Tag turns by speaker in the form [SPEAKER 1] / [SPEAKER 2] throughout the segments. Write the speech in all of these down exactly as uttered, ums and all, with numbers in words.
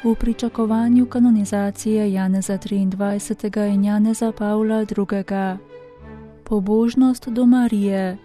[SPEAKER 1] V pričakovanju kanonizacije Janeza triindvajsetega in Janeza Pavla drugega. Pobožnost do Marije.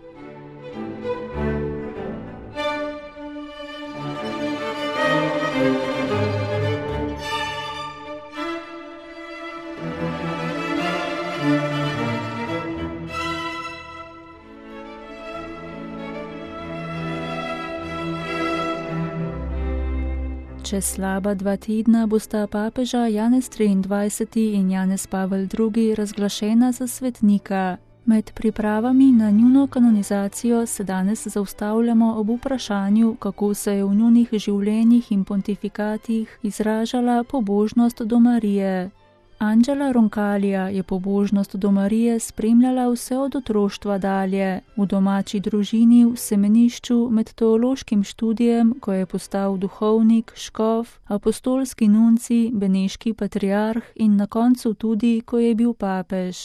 [SPEAKER 1] Čez slaba dva tedna bosta papeža Janez triindvajseti in Janez Pavel drugi razglašena za svetnika. Med pripravami na njuno kanonizacijo se danes zaustavljamo ob vprašanju, kako se je v njunih življenjih in pontifikatih izražala pobožnost do Marije. Angela Roncalija je pobožnost do Marije spremljala vse od otroštva dalje, v domači družini, v semenišču, med teološkim študijem, ko je postal duhovnik, škof, apostolski nunci, beneški patriarh in na koncu tudi, ko je bil papež.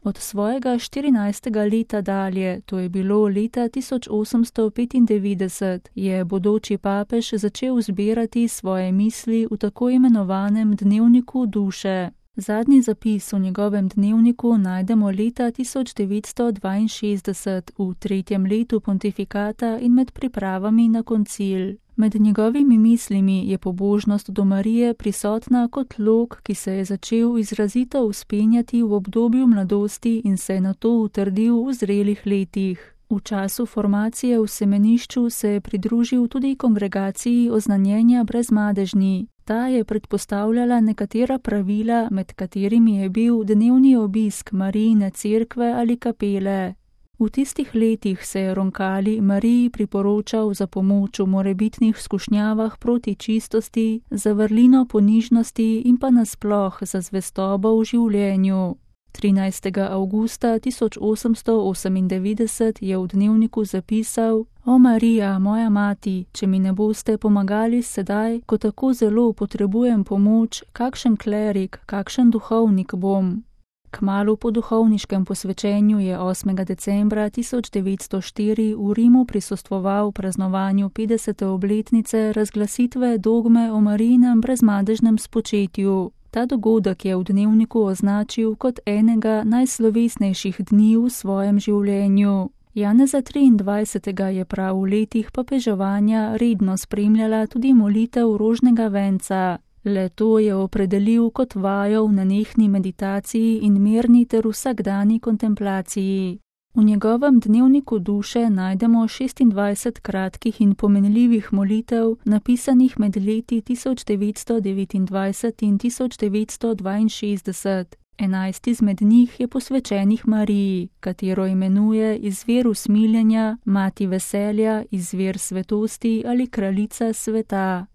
[SPEAKER 1] Od svojega štirinajstega leta dalje, to je bilo leta tisoč osemsto petindevetdeset, je bodoči papež začel zbirati svoje misli v tako imenovanem dnevniku duše. Zadnji zapis v njegovem dnevniku najdemo leta tisoč devetsto dvainšestdeset v tretjem letu pontifikata in med pripravami na koncil. Med njegovimi mislimi je pobožnost do Marije prisotna kot lok, ki se je začel izrazito vzpenjati v obdobju mladosti in se je nato utrdil v zrelih letih. V času formacije v semenišču se je pridružil tudi kongregaciji oznanjenja brezmadežni. Ta je predpostavljala nekatera pravila, med katerimi je bil dnevni obisk Marijine cerkve ali kapele. V tistih letih se je Roncalij Mariji priporočal za pomoč v morebitnih skušnjavah proti čistosti, za vrlino ponižnosti in pa nasploh za zvestobo v življenju. trinajstega avgusta tisoč osemsto osemindevetdeset je v dnevniku zapisal: O Marija, moja mati, če mi ne boste pomagali sedaj, ko tako zelo potrebujem pomoč, kakšen klerik, kakšen duhovnik bom. Kmalu po duhovniškem posvečenju je osmega decembra tisoč devetsto štiri v Rimu prisostvoval praznovanju petdesete obletnice razglasitve dogme o Marijinem brezmadežnem spočetju. Ta dogodek je v dnevniku označil kot enega najslovesnejših dni v svojem življenju. Janeza triindvajsetega je prav v letih papeževanja redno spremljala tudi molitev rožnega venca. Le to je opredelil kot vajo v nenehni meditaciji in mirni ter vsakdani kontemplaciji. V njegovem dnevniku duše najdemo šestindvajset kratkih in pomenljivih molitev, napisanih med leti tisoč devetsto devetindvajset in tisoč devetsto dvainšestdeset. Enajst izmed njih je posvečenih Mariji, katero imenuje izvir usmiljenja, mati veselja, izvir svetosti ali kraljica sveta.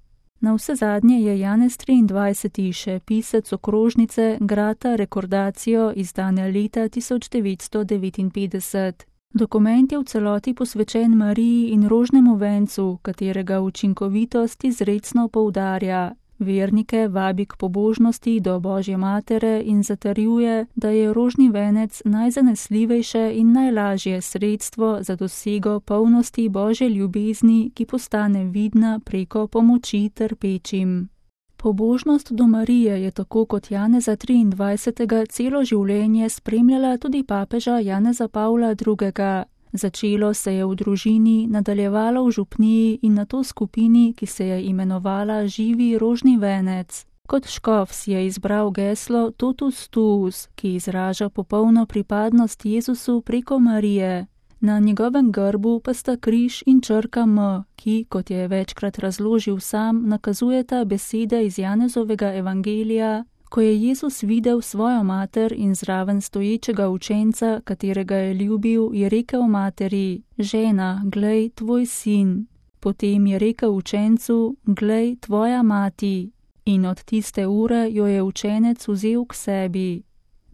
[SPEAKER 1] Na vse zadnje je Janez triindvajseti še pisec okrožnice Grata Recordatio izdane leta tisoč devetsto devetinpetdeset. Dokument je v celoti posvečen Mariji in rožnemu vencu, katerega učinkovitost izrecno poudarja. Vernike vabi k pobožnosti do Božje matere in zatrjuje, da je rožni venec najzanesljivejše in najlažje sredstvo za dosego polnosti Božje ljubezni, ki postane vidna preko pomoči trpečim. Pobožnost do Marije je tako kot Janeza triindvajsetega celo življenje spremljala tudi papeža Janeza Pavla drugega. Začelo se je v družini, nadaljevalo v župniji in nato skupini, ki se je imenovala Živi rožni venec. Kot škof si je izbral geslo Totus tuus, ki izraža popolno pripadnost Jezusu preko Marije. Na njegovem grbu pa sta križ in črka M, ki, kot je večkrat razložil sam, nakazujeta besede iz Janezovega evangelija. Ko je Jezus videl svojo mater in zraven stoječega učenca, katerega je ljubil, je rekel materi: Žena, glej, tvoj sin. Potem je rekel učencu: Glej, tvoja mati. In od tiste ure jo je učenec vzel k sebi.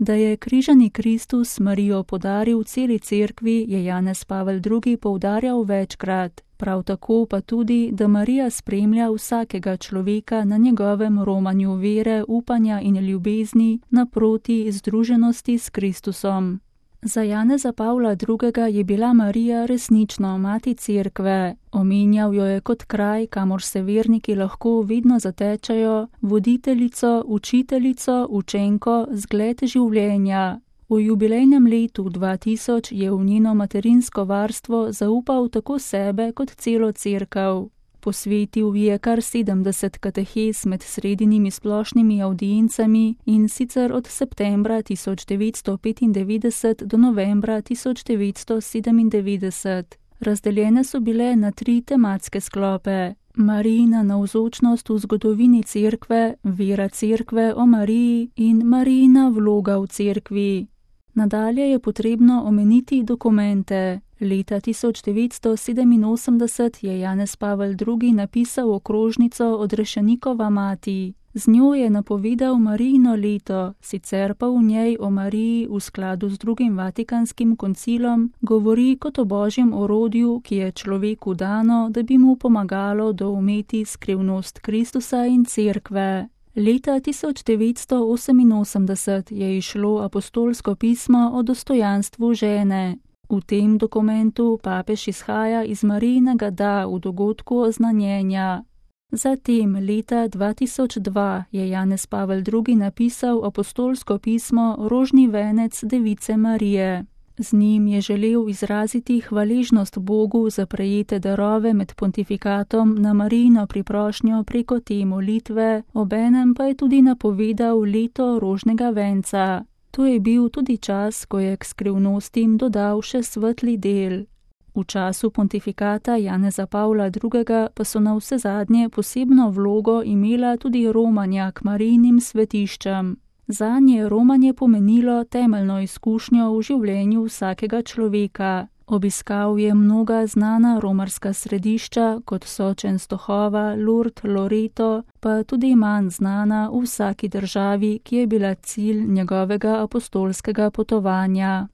[SPEAKER 1] Da je križani Kristus Marijo podaril celi cerkvi, je Janez Pavel drugi poudarjal večkrat. Prav tako pa tudi, da Marija spremlja vsakega človeka na njegovem romanju vere, upanja in ljubezni naproti združenosti s Kristusom. Za Janeza Pavla drugega je bila Marija resnično mati cerkve. Omenjal jo je kot kraj, kamor se verniki lahko vedno zatečajo, voditeljico, učiteljico, učenko, zgled življenja. V jubilejnem letu dva tisoč je v njeno materinsko varstvo zaupal tako sebe kot celo cerkev. Posvetil ji je kar sedemdeset katehes med sredinimi splošnimi avdiencami in sicer od septembra tisoč devetsto petindevetdeset do novembra tisoč devetsto sedemindevetdeset. Razdeljene so bile na tri tematske sklope: Marijina navzočnost v zgodovini cerkve, vera cerkve o Mariji in Marijina vloga v cerkvi. Nadalje je potrebno omeniti dokumente. Leta tisoč devetsto sedeminosemdeset je Janez Pavel drugi napisal okrožnico Odrešenikova mati. Z njo je napovedal Marijino leto, sicer pa v njej o Mariji v skladu z drugim Vatikanskim koncilom govori kot o božjem orodju, ki je človeku dano, da bi mu pomagalo doumeti skrivnost Kristusa in cerkve. Leta tisoč devetsto oseminosemdeset je izšlo apostolsko pismo o dostojanstvu žene. V tem dokumentu papež izhaja iz Marijinega da v dogodku oznanjenja. Zatem leta dva tisoč dva je Janez Pavel drugi napisal apostolsko pismo Rožni venec Device Marije. Z njim je želel izraziti hvaležnost Bogu za prejete darove med pontifikatom na Marijino priprošnjo preko te molitve, obenem pa je tudi napovedal leto rožnega venca. To je bil tudi čas, ko je k skrivnostim dodal še svetli del. V času pontifikata Janeza Pavla drugega pa so na vse zadnje posebno vlogo imela tudi romanja k Marijinim svetiščem. Zanje je romanje pomenilo temeljno izkušnjo v življenju vsakega človeka. Obiskal je mnoga znana romarska središča, kot so Częstochowa, Lourdes, Loreto, pa tudi manj znana v vsaki državi, ki je bila cilj njegovega apostolskega potovanja.